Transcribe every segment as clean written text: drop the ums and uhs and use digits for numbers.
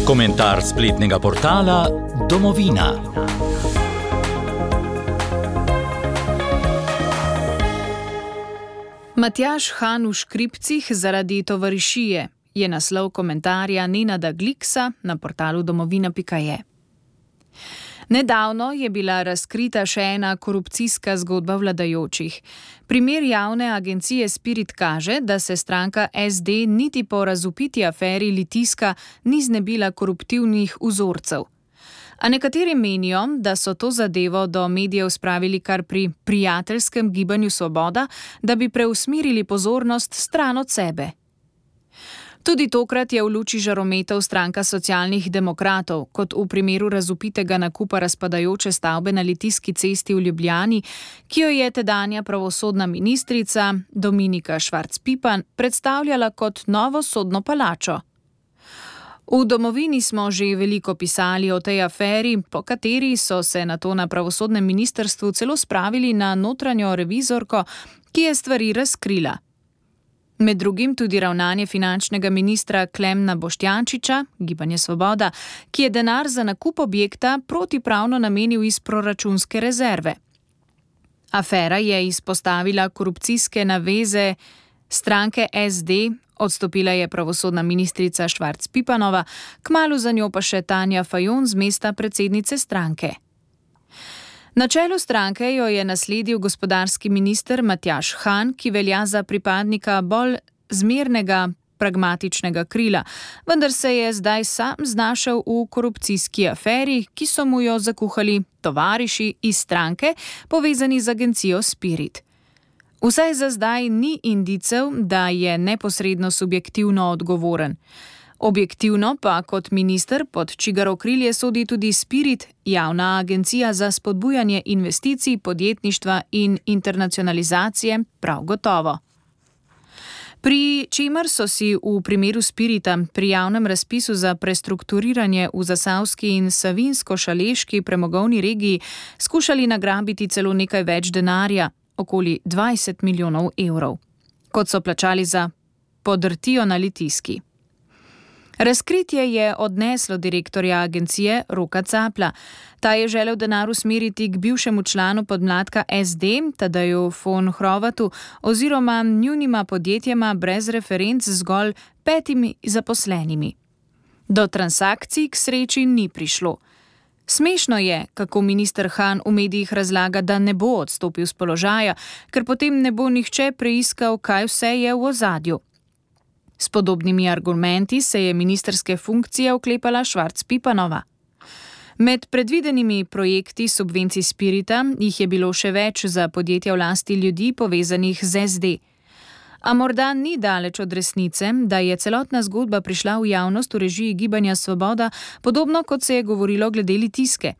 Komentar spletnega portala Domovina. Matjaž Han v škripcih zaradi tovarišije je naslov komentarja Nenada Gliksa na portalu domovina.je. Nedavno je bila razkrita še ena korupcijska zgodba vladajočih. Primer javne agencije Spirit kaže, da se stranka SD niti po razvpiti aferi Litijska ni znebila koruptivnih vzorcev. A nekateri menijo, da so to zadevo do medijev spravili kar pri prijateljskem gibanju Svoboda, da bi preusmerili pozornost stran od sebe. Tudi tokrat je v luči žarometov stranka socialnih demokratov, kot v primeru razvpitega nakupa razpadajoče stavbe na Litijski cesti v Ljubljani, ki jo je tedanja pravosodna ministrica Dominika Švarc Pipan predstavljala kot novo sodno palačo. V Domovini smo že veliko pisali o tej aferi, po kateri so se nato na pravosodnem ministrstvu celo spravili na notranjo revizorko, ki je stvari razkrila. Med drugim tudi ravnanje finančnega ministra Klemna Boštjančiča, Gibanje Svoboda, ki je denar za nakup objekta protipravno namenil iz proračunske rezerve. Afera je izpostavila korupcijske naveze stranke SD, odstopila je pravosodna ministrica Švarc Pipanova, kmalu za njo pa še Tanja Fajon z mesta predsednice stranke. Na čelu stranke jo je nasledil gospodarski minister Matjaž Han, ki velja za pripadnika bolj zmernega, pragmatičnega krila, vendar se je zdaj sam znašel v korupcijski aferi, ki so mu jo zakuhali tovariši iz stranke, povezani z agencijo Spirit. Vsaj za zdaj ni indicev, da je neposredno subjektivno odgovoren. Objektivno pa kot minister, pod čigar okrilje sodi tudi Spirit, javna agencija za spodbujanje investicij, podjetništva in internacionalizacije, prav gotovo. Pri čemer so si v primeru Spirita pri javnem razpisu za prestrukturiranje v Zasavski in Savinjsko-Šaleški premogovni regiji skušali nagrabiti celo nekaj več denarja, okoli 20 milijonov evrov, kot so plačali za podrtijo na Litijski. Razkritje je odneslo direktorja agencije Roka Capla. Ta je želel denar usmeriti k bivšemu članu podmladka SD, Tadeju von Hrovatu, oziroma njunima podjetjema brez referenc z zgolj 5 zaposlenimi. Do transakcij k sreči ni prišlo. Smešno je, kako minister Han v medijih razlaga, da ne bo odstopil z položaja, ker potem ne bo nihče preiskal, kaj vse je v ozadju. S podobnimi argumenti se je ministrske funkcije oklepala Švarc Pipanova. Med predvidenimi projekti subvencij Spirita jih je bilo še več za podjetja v lasti ljudi povezanih z SD. A morda ni daleč od resnice, da je celotna zgodba prišla v javnost v režiji Gibanja Svoboda, podobno kot se je govorilo glede Litijske.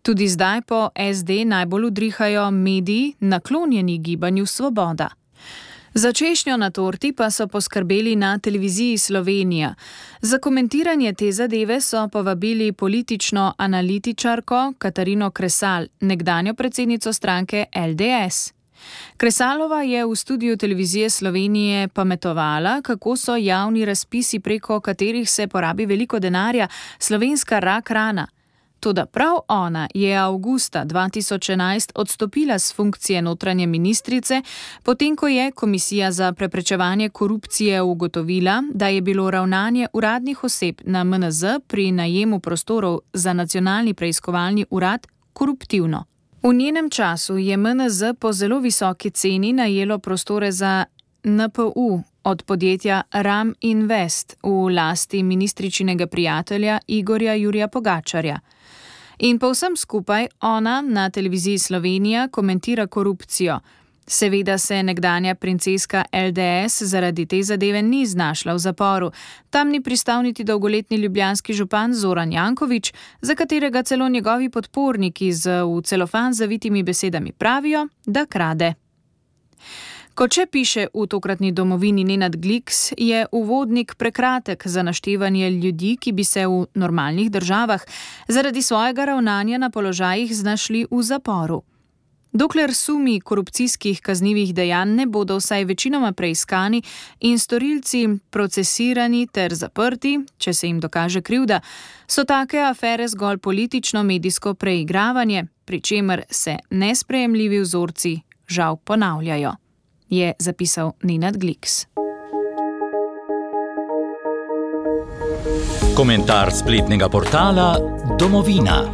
Tudi zdaj po SD najbolj udrihajo mediji naklonjeni Gibanju Svoboda. Za češnjo na torti pa so poskrbeli na televiziji Slovenija. Za komentiranje te zadeve so povabili politično analitičarko Katarino Kresal, nekdanjo predsednico stranke LDS. Kresalova je v studiu televizije Slovenije pametovala, kako so javni razpisi, preko katerih se porabi veliko denarja, slovenska rak rana. Toda prav ona je avgusta 2011 odstopila s funkcije notranje ministrice, potem ko je Komisija za preprečevanje korupcije ugotovila, da je bilo ravnanje uradnih oseb na MNZ pri najemu prostorov za nacionalni preiskovalni urad koruptivno. V njenem času je MNZ po zelo visoki ceni najelo prostore za NPU od podjetja Ram Invest v lasti ministričinega prijatelja Igorja Jurija Pogačarja. In povsem skupaj ona na televiziji Slovenija komentira korupcijo. Seveda se nekdanja princeska LDS zaradi te zadeve ni znašla v zaporu. Tam ni pristal niti dolgoletni ljubljanski župan Zoran Janković, za katerega celo njegovi podporniki z v celofan zavitimi besedami pravijo, da krade. Kot še piše v tokratni Domovini Nenad Gliks, je uvodnik prekratek za naštevanje ljudi, ki bi se v normalnih državah zaradi svojega ravnanja na položajih znašli v zaporu. Dokler sumi korupcijskih kaznivih dejanj ne bodo vsaj večinoma preiskani in storilci procesirani ter zaprti, če se jim dokaže krivda, so take afere zgolj politično-medijsko preigravanje, pri čemer se nesprejemljivi vzorci žal ponavljajo, je zapisal Nenad Gliks. Komentar spletnega portala Domovina.